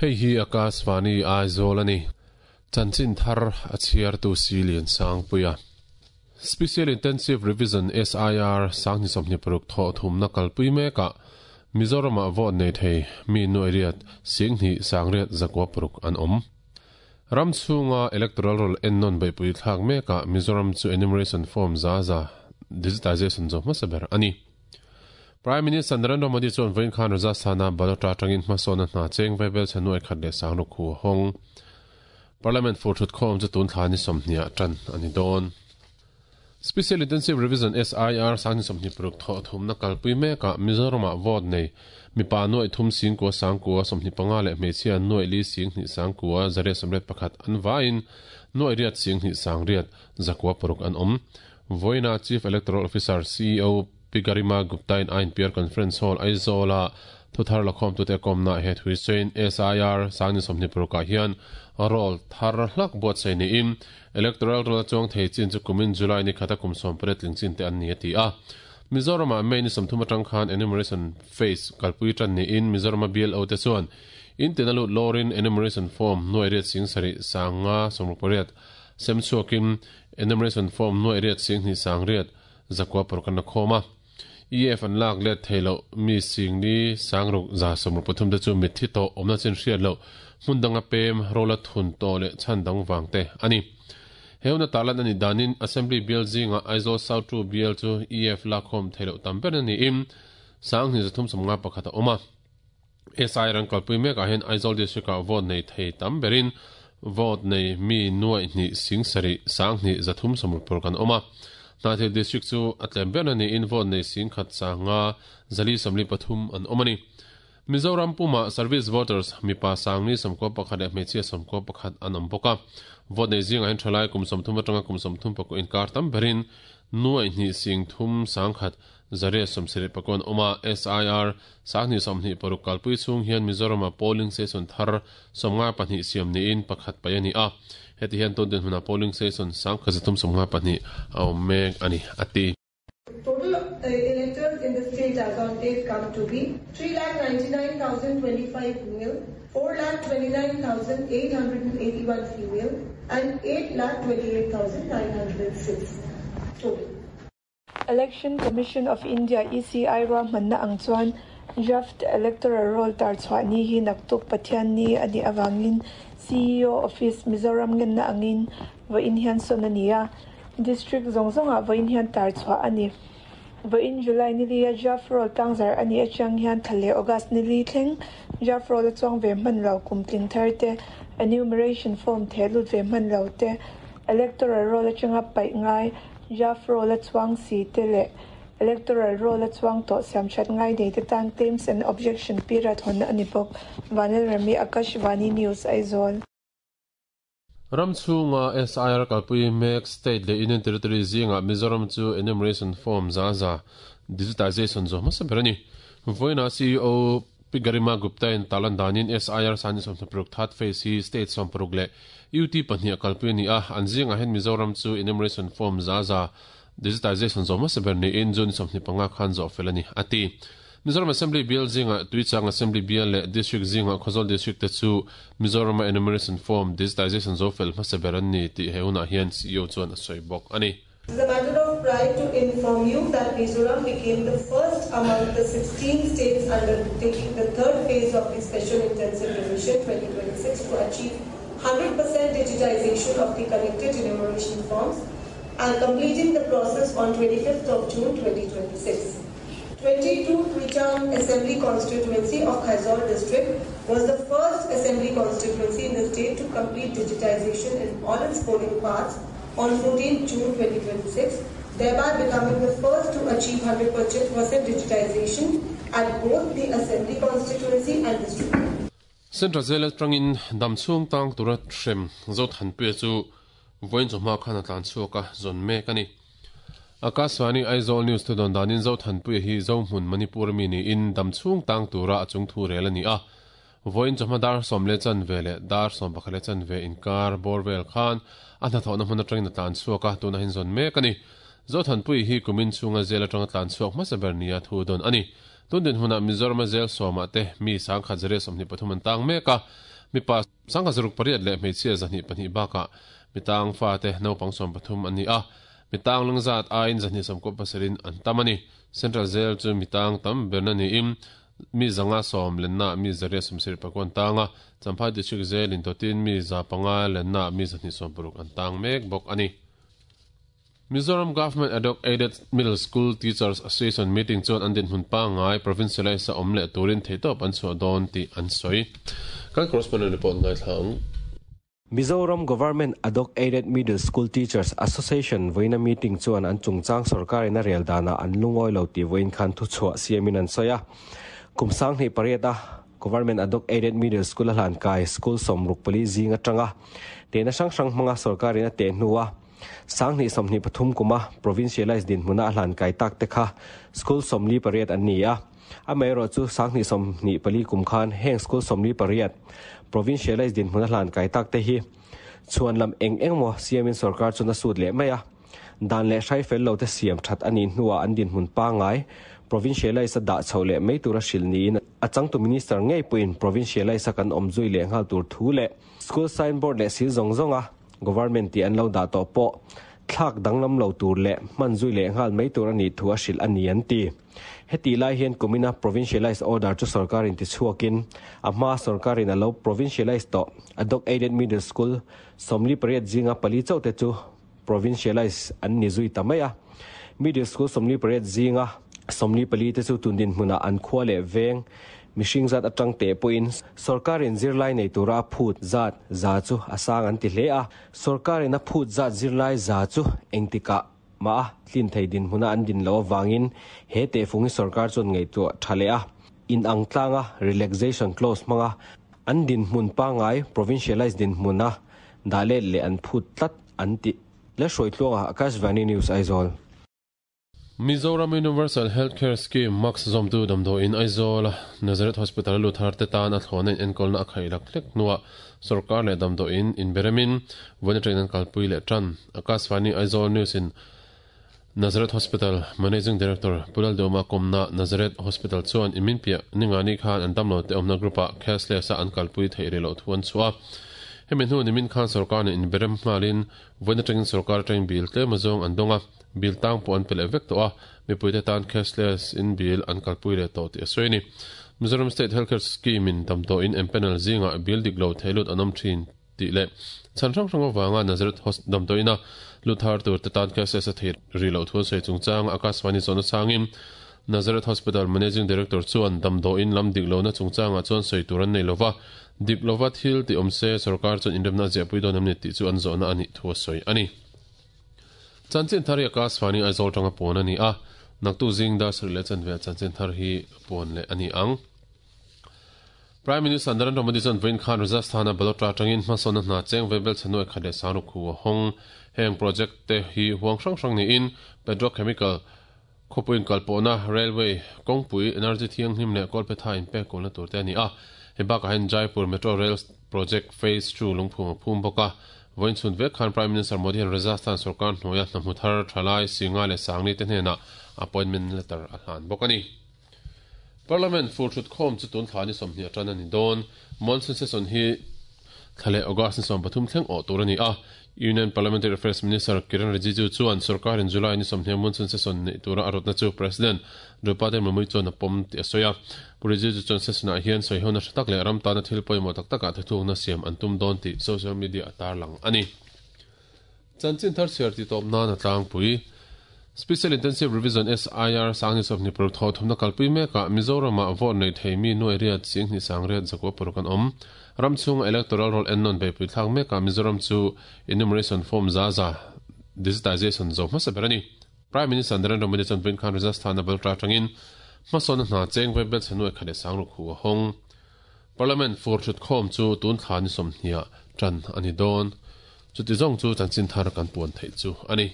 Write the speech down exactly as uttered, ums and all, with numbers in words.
Hei hi Akashvani Aizawl ani. Chanchin thar a chhiar tu Silian Sangpuia. Special Intensive Revision S I R Sangni Somni Paruk tho thumna kalpui meka Mizoram a vote nei thei mi nuai riat singni sangriat zakwa paruk an om. Ramchhunga electoral roll ennon beipui thlak meka Mizoram chu enumeration form za za digitization zo hmasaber ani. Prime Minister Narendra Modi chuan vawiin khan Rajasthana Balota atangin hmasawna hna cheng vaibel chhanuai khat leh sangruk khu hawng. Parliament fur thut khawm chu tun thla ni sawmhniah tan ani dawn. Special Intensive Revision S I R Sangni Somni Paruk tho thumna kalpui meka Mizoram a vote nei mipa nuai thum sing ko sangkua somni panga leh hmeichhia nuai li sing hnih sangkua zariat sawmriat pakhat an vain nuai riat sing hnih sangriat zakua paruk an awm. Vawiina Chief Electoral Officer C E O Pigarima Gupta in I N P R Conference Hall Aizawl thuthar lakhawm tute kawmna he thui chain S I R Sangni Somni Paruk ah hian roll thar hlak buatsaih niin electoral roll chuang thei chin chu kumin July ni khata kum sawm pariat tling chin te an ni a ti a. Mizoram ah May ni sawmthum atang khan enumeration phase kalpui tan niin Mizoram a B L O te chuan in tin a lut lawrin enumeration form nuai riat sing sarih sanga sawmruk pariat sem chhuakin enumeration form nuai riat sing hnih sangriat zakua paruk an la khawm a. E F an lak let theilo mi sing ni sangruk za sawmruk pathum te chu mithi tawh awmna chin hriat loh hmundanga pem rola thun tawh leh chhan dang wang te ani. Heuna talan ani danin Assembly Bill zinga Aizawl South two Bill chu E F lakhawm theilo tam ber ani in sang hnih zathum sawmnga pakhat a awm a. S I rang kalpui mekah hian Aizawl District ah vote nei thei tam berin vote nei mi nuai hnih sing sarih sang hnih zathum sawmruk paruk an awm a. Hnathil District chu a tlem ber ani in vote nei sing khat sanga zali sawmli pathum an awm ani. Mizoram Puma Service Voters mipa sangni sawmkua pakhat leh hmeichhia sawmkua pakhat an awm bawk a. Vote nei zingah hian thalai kum sawmthum atanga kum sawmthum pakua inkar tam berin nuai hnih sing thum sangkhat zariat sawmsarih pakua an awm a. S I R sangni sawmhnih paruk kalpui chhung hian Mizoram a polling station thar sawmnga pahnih siam niin pakhat pai ani a. Heti hian tun dinhmunah polling station sangkhat zathum sawmnga pahnih a awm mek ani a ti. Total electors in the state as on date come to be three lakh ninety-nine thousand twenty-five male, four lakh twenty-nine thousand eight hundred eighty-one female, and eight lakh twenty-eight thousand nine hundred six total. Election Commission of India E C I ra manna ang chuan draft electoral roll tar chhuah ni hi naktuk Pathian ni ani awangin C E O Office Mizoram ngen na angin vawiin hian sawn ani a. District zawng zawngah vawiin hian tar chhuah ani. Vawiin July ni lia draft roll tangzar ani atang hian thale August ni li thleng draft roll a chuang ve hman lo kum tling thar te enumeration form the lut ve hman lo te electoral roll atanga paih ngai draft roll a chuang si te leh electoral roll a chuang tawh siam that ngai nei te tan claims and objection period hawn ani bawk. Vanil Rami Akashvani News Aizawl. Ramchhunga S I R kalpui mek state leh Union Territory zinga Mizoram chu enumeration form za za digitization zo hmasa ber ani. Vawiina C E O Pigarima Gupta in talan danin S I R sangni sawmhnih paruk third phase hi state sawm paruk leh U T pahnih a kalpui ani a. An zingah hian Mizoram chu enumeration form za za digitization zo hmasa ber niin June sawmhnih panga khan zawh fel ani a ti. Mizoram Assembly Bill zinga Tuichang Assembly Bill leh District zinga Khawzawl District te chu Mizoram enumeration form digitization zo fel hmasa ber an ni tih heunah hian C E O chuan a sawi bawk ani. It is a matter of pride to inform you that Mizoram became the first among the sixteen states undertaking the third phase of the Special Intensive Revision twenty twenty-six to achieve one hundred percent digitization of the collected enumeration forms and completing the process on twenty-fifth of June twenty twenty-six. twenty-two Tuichang Assembly Constituency of Khawzawl District was the first assembly constituency in the state to complete digitization in all its polling parts on fourteenth June twenty twenty-six, thereby becoming the first to achieve one hundred percent digitization at both the assembly constituency and district. Central Jail atangin damchhung tang tura hrem zo thanpui chu vawiin chawhma khan a tlan chhuak a zawn mek ani. Akashvani Aizawl News thu dawn danin zo thanpui hi zo hmun Manipur mi ni in damchhung tang tura a chung thu rel ani a. Vawiin chawhma dar sawm leh chan ve leh dar sawm pakhat leh chan ve inkar bawr vel khan a hnathawhna hmun atangin a tlan chhuak a tuna hin zawn mek ani. Zothanpui hi kumin chunga zel atanga tlan chhuak hmasa ber nia thu dawn ani. Tundin huna Mizoram zel sawma te mi sangkhat zare sawmhnih pathum an tang mek a, mipa sangkhat zaruk pariat leh hmeichhia zahnih pahnih bakah mitang fa te naupang sawm pathum an ni a, mitang lungzat aiin zahnih sawmkaw pasarin an tam ani. Central zel chu mitang tam berna niin mi zanga sawm lenna mi zaria sawmsarih pakua an tang a, Champhai district zel in totin mi za panga lenna mi zahnih sawm paruk an tang mek bawk ani. Mizoram Government Ad Hoc Aided Middle School Teachers Association meeting chuan an din hmun pangai provincialize a awm leh turin theitawp an chhuah dawn tih an sawi. Kan correspondent report ngaithlang. Mizoram Government Ad Hoc Aided Middle School Teachers Association voina meeting chuan an chungchang sarkarin a rel dana an lungawi lo tih vawiin khan thu chhuah siamin an sawi a. Kum sanghnih pariat a Government Ad Hoc Aided Middle School a hlan kai school sawmruk pali zing atanga tehna hrang hrang hmanga sarkarin a teh hnuah sanghnih sawmhnih pathum kuma provincialized din hmuna a hlan kai tak te kha school sawmli pariat an ni a. Amaherawh chu sanghnih sawmhnih pali kum khan heng school sawmli pariat provincialized din hmuna hlan kai tak te hi chuan lam eng eng maw siamin sarkar chu na sut leh mai a. Dan leh hrai fel lo te siam that ani hnuah an din hmun pangai provincialized a dah chho leh mai tura hril niin a changtu minister ngei puin provincialized a kan awm zui leh nghal tur thu leh school signboard leh sil zawng zawng a government ti an lo dah tawh pawh thlak danglam lo tur leh hman zui leh nghal mai tur ani thu a hril ani an ti. Heti lai hian kumina provincialized order chu sarkarin ti chhuakin a hma sarkarin a lo provincialized tawh Ad Hoc Aided Middle School sawmli pariat zinga pali chauh te chu provincialized an ni zui ta mai a. Middle school sawmli pariat zinga sawmli pali te chu tundin hmunah an khua leh veng mihring zat atang te pawhin sarkarin zirlai nei tura phut zat za chu a sang an ti hle a. Sarkarin a phut zat zirlai za chu engtikah ma tlin thei din hmuna an din lo awangin he te fungi sarkar chuan ngei chu tha leh a. In ang tlanga relaxation clause hmanga an din hmun pangai provincialized din hmuna dah let leh an phut tlat an ti. Le hruai tluanga Akashvani News Aizawl. Mizoram Universal Healthcare Scheme Max Zomtu damdo in Aizawl Nazareth Hospital Luthar te tan a thlawna in enkawl na a khai lak hlek hnuah sarkar leh damdo in inberemin vawiin atangin an kalpui leh tan. Akashvani Aizawl News in Nazareth Hospital Managing Director Pulal Doma Komna Nazareth Hospital chuan imin piah ningani khan an damlo te awmna group ah cashless a an kalpui theih rih loh thu an chhuah a. Hemi hnu nimin khan sarkar nen inberem nghalin vawiin atangin sarkar atangin bil tlem azawng an dawng a, bil tang pawh an pe leh vek tawh a, mipuite tan cashless in bil an kalpui leh tawh tih a sawi a ni. Mizoram State Healthcare Scheme in damdawi in empanel zingah bil dik lo theilut an awm thin tih leh chhan hrang hrang avanga Nazareth Hospital damdawiina luthar tur te tan cashless a thei rih loh thu an sawi chungchang Akashvani zawhna changin Nazareth Hospital Managing Director chuan damdawiin lam dik lohna chungchangah chuan sawi tur an nei lova, dik lova thil ti awm se sarkar chuan inremna a ziahpui dawn em ni tih chu an zawhna a nih thu a sawi a ni. Chanchin thar hi Akashvani Aizawl tanga pawn a ni a, naktu zing dar sarih leh chanve ah chanchin thar hi pawn leh a ni ang. Prime Minister Narendra Modi chuan vawiin khan Rajasthan-a Balotra atangin hmasawnna hna cheng vaibel chhanuai khat leh sangruk hu a hawng. Heng project te hi huang hrang hrang niin petrochemical khawpuiin kalpawhna, railway, kawngpui, energy thianghlim leh kawlphetha inpek kawlna tur te a ni a. Hei bakah hian Jaipur Metro Rail Project Phase two lungphum a phum bawk a. Vawiin chhun vek khan Prime Minister Modi hian Rajasthan sarkar hnuaia hna hmu thar thalai Singa leh Sangni te hnenah appointment letter a hlan bawk a ni. Parliament fur thut khawm chu tun thla ni sawmhnih atan a ni dawn. Monsoon session hi thla leh August ni sawm pathum thleng awh tur a ni a. Union Parliamentary Affairs Minister Kiren Rijiju chuan sarkarin July ni sawmhnih monsoon session neih tura a rawtna chu President Draupadi Murmu chuan a pawm tih a sawi a. Pu Rijiju chuan session ah hian sawihona hre tak leh ram tana thil pawimawh tak takah thuthlukna siam an tum dawn tih social media a tarlang a ni. Chanchin thar chhiar ti tawp nan a tlangpui. Special Intensive Revision S I R sangni sawmhnih paruk thaw thumna kalpui mekah Mizoramah vote nei thei mi nuai riat singhnih sang riat zakua paruk an awm. Ram chhunga electoral roll ennawn beipui thlak mekah Mizoram chu enumeration form za za digitization zo hmasa ber a ni. Prime Minister Narendra Modi chuan vawiin khan Rajasthan-a Baltra atangin hmasawnna hna cheng vaibel chhanuai khat leh sangruk hu a hawng. Parliament fur thut khawm chu tun thla ni sawmhnih ah tan a ni dawn. Chuti zawng chu chanchin thar kan puan theih chu a ni.